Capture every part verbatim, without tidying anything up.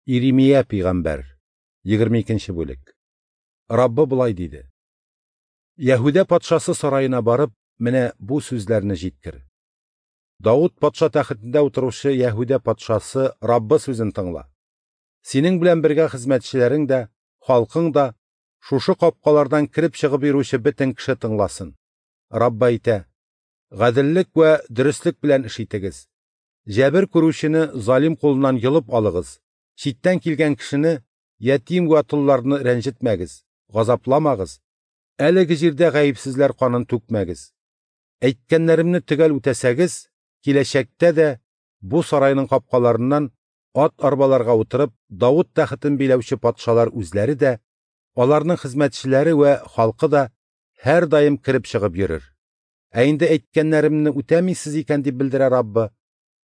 Иремия пәйгамбәр, егерме икенче бүлек. Раббы болай диде: Яһүдә патшасы сараена барып, менә бу сүзләрне җиткер. Давыт патша тәхетендә утыручы Яһүдә патшасы Раббы сүзен тыңла. Синең белән бергә хезмәтчеләрең дә, халкың да, шушы капкалардан кереп чыгып йөрүче бөтен кеше тыңласын. Раббы әйтә: гаделлек вә дөреслек белән эш итегез. Җәбер күрүчене залим кулыннан йолып алыгыз. Читтән килгән кешене, ятим вә толларны рәнҗетмәгез, газапламагыз. Әлеге җирдә гаепсезләр канын түкмәгез. Әйткәннәремне төгәл үтәсәгез, киләчәктә дә бу сарайның капкаларыннан ат арбаларга утырып, Давыт тәхетен биләүче патшалар үзләре дә, аларның хезмәтчеләре вә халкы да һәр даим кереп чыгып йөрер. Ә инде әйткәннәремне үтәмисез икән дип белдерә Раббы,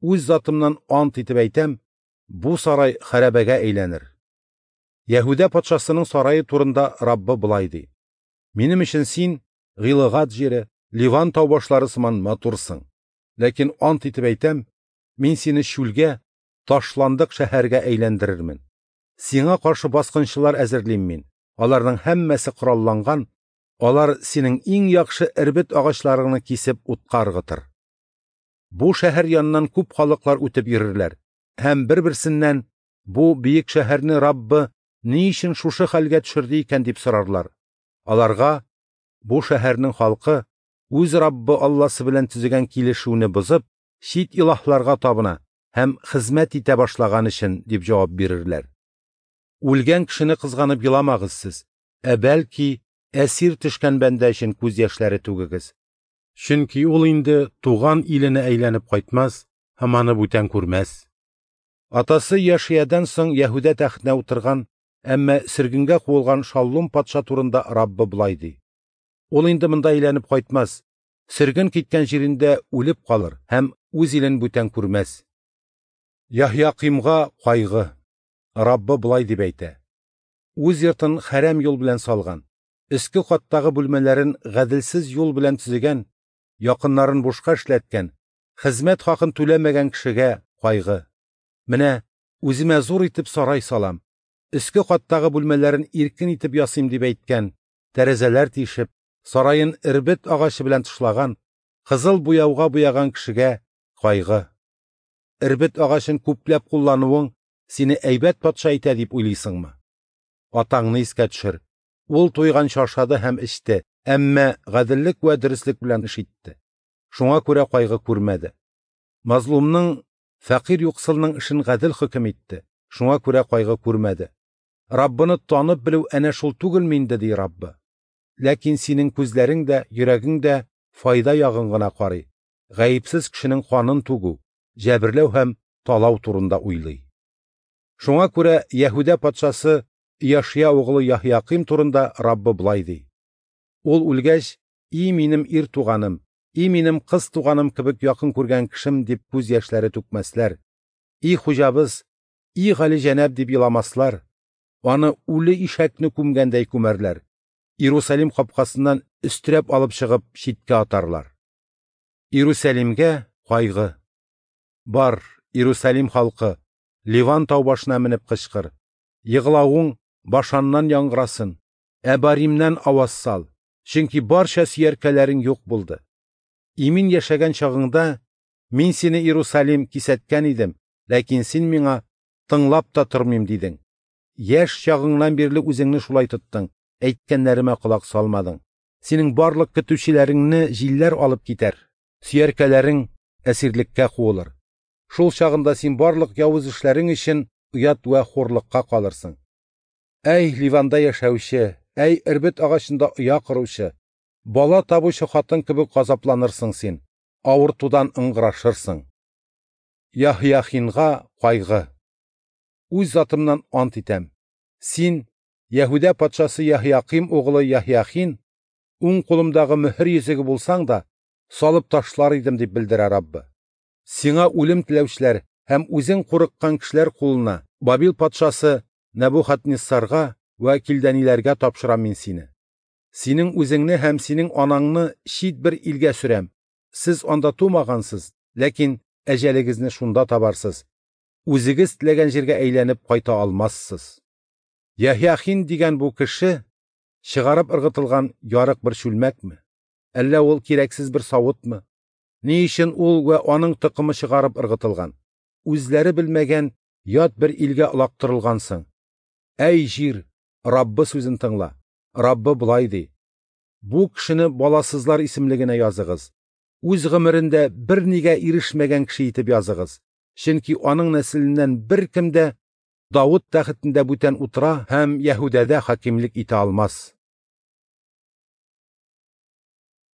үз затымнан ант итеп әйтәм, бу сарай хәрабәгә әйләнер. Яһүдә патшасының сарае турында Раббы болай ди: Минем өчен син Гилгад җире, Ливан тау башлары сыман матурсың. Ләкин ант итеп әйтәм, мин сине чүлгә, ташландык шәһәргә әйләндерермен. Сиңа каршы баскынчылар әзерлим мин. Аларның һәммәсе коралланган, алар синең иң яхшы эрбет агачларыңны кисеп утка ыргытыр. Бу шәһәр яныннан күп халыклар үтеп йөрерләр һәм бер-берсеннән бу бөек шәһәрне Раббы ни өчен шушы хәлгә төшерде икән дип сорарлар. Аларга бу шәһәрнең халкы үз Раббы Алласы белән төзегән килешүне бозып, чит илаһларга табына һәм хезмәт итә башлаган өчен дип җавап бирерләр. Үлгән кешене кызганып еламагыз сез, ә бәлки әсир төшкән бәндә өчен күз яшьләре түгегез. Чөнки ул инде туган иленә әйләнеп кайтмас һәм аны бүтән күрмәс. Атасы Яшиядән соң Яһүдә тәхетенә утырган, әмма сөргенгә куылган Шаллум патша турында Раббы болай ди: Ул инде монда әйләнеп кайтмас, сөрген киткән җирендә үлеп калыр һәм үз илен бүтән күрмәс. Яһякимга кайгы. Раббы болай дип әйтә: Үз йортын хәрәм юл белән салган, өске каттагы бүлмәләрен гаделсез юл белән төзегән, якыннарын бушка эшләткән, хезмәт хакын түләмәгән кешегә кайгы. Менә үземә зур итеп сарай салам, өске каттагы бүлмәләрен иркен итеп ясыйм дип әйткән, тәрәзәләр тишеп, сараен эрбет агачы белән тышлаган, кызыл буяуга буяган кешегә кайгы. Эрбет агачын күпләп куллануың сине әйбәт патша итә дип уйлыйсыңмы? Атаңны искә төшер. Ул туйганчы ашады һәм эчте, әмма гаделлек вә дөреслек белән эш итте. Шуңа күрә кайгы күрмәде. Мазлумның, фәкыйрь юксылның эшен гадел хөкем итте. Шуңа күрә кайгы күрмәде. Раббыны танып белү әнә шул түгелме инде, ди Раббы. Ләкин синең күзләрең дә, йөрәгең дә файда ягын гына карый. Гаепсез кешенең канын түгү, җәберләү һәм талау турында уйлый. Шуңа күрә Яһүдә патшасы Яшия углы Яһяким турында Раббы болай ди: Ул үлгәч, и минем ир туганым, и минем кыз туганым кебек якын күргән кешем дип күз яшьләре түкмәсләр. И хуҗабыз, и гали җәнәб дип еламаслар. Аны үле ишәкне күмгәндәй күмәрләр. Иерусалим капкасыннан өстерәп алып чыгып читкә атарлар. Иерусалимгә кайгы. Бар, Иерусалим халкы, Ливан тау башына менеп кычкыр. Егылавың Башаннан яңгырасын, Әбаримнән аваз сал, чөнки барча сөяркәләрең юк булды. Имин яшәгән чагыңда мин сине, Иерусалим, кисәткән идем, ләкин син миңа тыңлап та тормыйм дидең. Яшь чагыңнан бирле үзеңне шулай тоттың, әйткәннәремә колак салмадың. Синең барлык көтүчеләреңне җилләр алып китәр, сөяркәләрең әсирлеккә куылыр. Шул чагында син барлык явыз эшләрең өчен оят вә хурлыкка калырсың. Әй, Ливанда яшәүче, әй, эрбет агачында оя коручы, бала табучы хатын кебек газапланырсың син, авыртудан ыңгырашырсың. Яһяхинга кайгы. Үз затымнан ант итәм. Син, Яһүдә патшасы Яһяким углы Яһяхин, уң кулымдагы мөһер йөзеге булсаң да, салып ташлар идем дип белдерә Раббы. Сиңа үлем теләүчеләр һәм үзең курыккан кешеләр кулына, Бабил патшасы Нәбухаднессарга вә килдәниләргә тапшырам мин сине. Синең үзеңне һәм синең анаңны чит бер илгә сөрәм. Сез анда тумагансыз, ләкин әҗәлегезне шунда табарсыз. Үзегез теләгән җиргә әйләнеп кайта алмассыз. Яһяхин дигән бу кеше чыгарып ыргытылган ярык бер чүлмәкме? Әллә ул кирәксез бер савытмы? Ни өчен ул вә аның токымы чыгарып ыргытылган, үзләре белмәгән ят бер илгә олактырылган соң? Әй җир, Раббы сүзен тыңла. Раббы болай ди: Бу кешене баласызлар исемлегенә языгыз. Үз гомерендә бернигә ирешмәгән кеше итеп языгыз. Чөнки аның нәселеннән беркем дә Давыт тәхетендә бүтән утыра һәм Яһүдәдә хакимлек итә алмас.